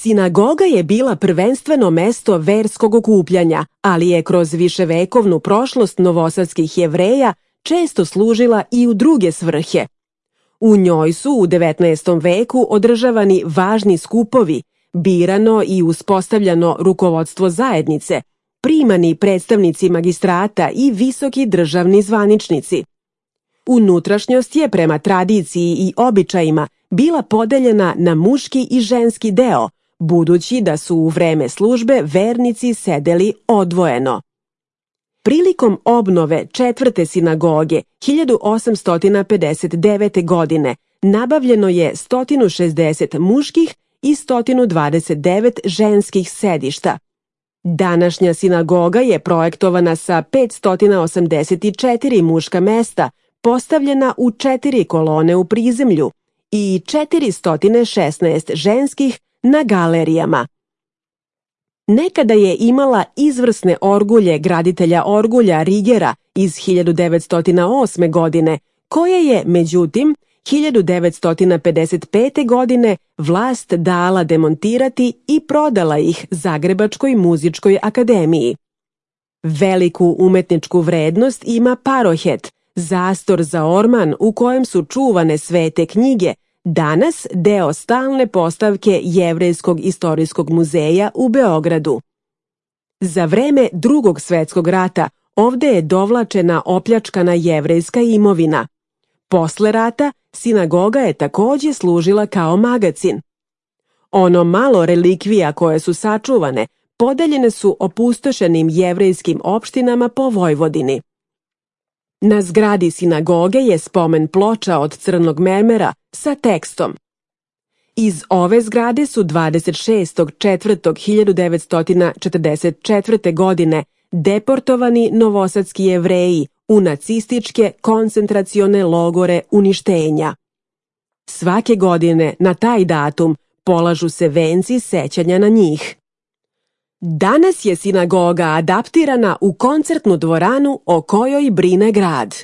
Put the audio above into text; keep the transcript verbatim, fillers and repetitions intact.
Sinagoga je bila prvenstveno mesto verskog okupljanja, ali je kroz viševekovnu prošlost novosadskih Jevreja često služila i u druge svrhe. U njoj su u devetnaestom veku održavani važni skupovi, birano i uspostavljano rukovodstvo zajednice, primani predstavnici magistrata i visoki državni zvaničnici. Unutrašnjost je prema tradiciji i običajima bila podeljena na muški i ženski deo, budući da su u vreme službe vernici sedeli odvojeno. Prilikom obnove četvrte sinagoge hiljadu osamsto pedeset devete. godine nabavljeno je sto šezdeset muških i sto dvadeset devet ženskih sedišta. Današnja sinagoga je projektovana sa petsto osamdeset četiri muška mesta, postavljena u četiri kolone u prizemlju i četiristo šesnaest ženskih na galerijama. Nekada je imala izvrsne orgulje graditelja orgulja Rigera iz hiljadu devetsto osme. godine, koje je, međutim, hiljadu devetsto pedeset pete. godine vlast dala demontirati i prodala ih Zagrebačkoj muzičkoj akademiji. Veliku umetničku vrednost ima parohet, zastor za orman u kojem su čuvane svete knjige, danas deo stalne postavke Jevrejskog istorijskog muzeja u Beogradu. Za vreme Drugog svetskog rata ovde je dovlačena opljačkana jevrejska imovina. Posle rata sinagoga je takođe služila kao magacin. Ono malo relikvija koje su sačuvane podeljene su opustošenim jevrejskim opštinama po Vojvodini. Na zgradi sinagoge je spomen ploča od crnog mermera sa tekstom. Iz ove zgrade su dvadeset šestog aprila hiljadu devetsto četrdeset četvrte. godine deportovani novosadski Jevreji u nacističke koncentracione logore uništenja. Svake godine na taj datum polažu se venci sećanja na njih. Danas je sinagoga adaptirana u koncertnu dvoranu o kojoj brine grad.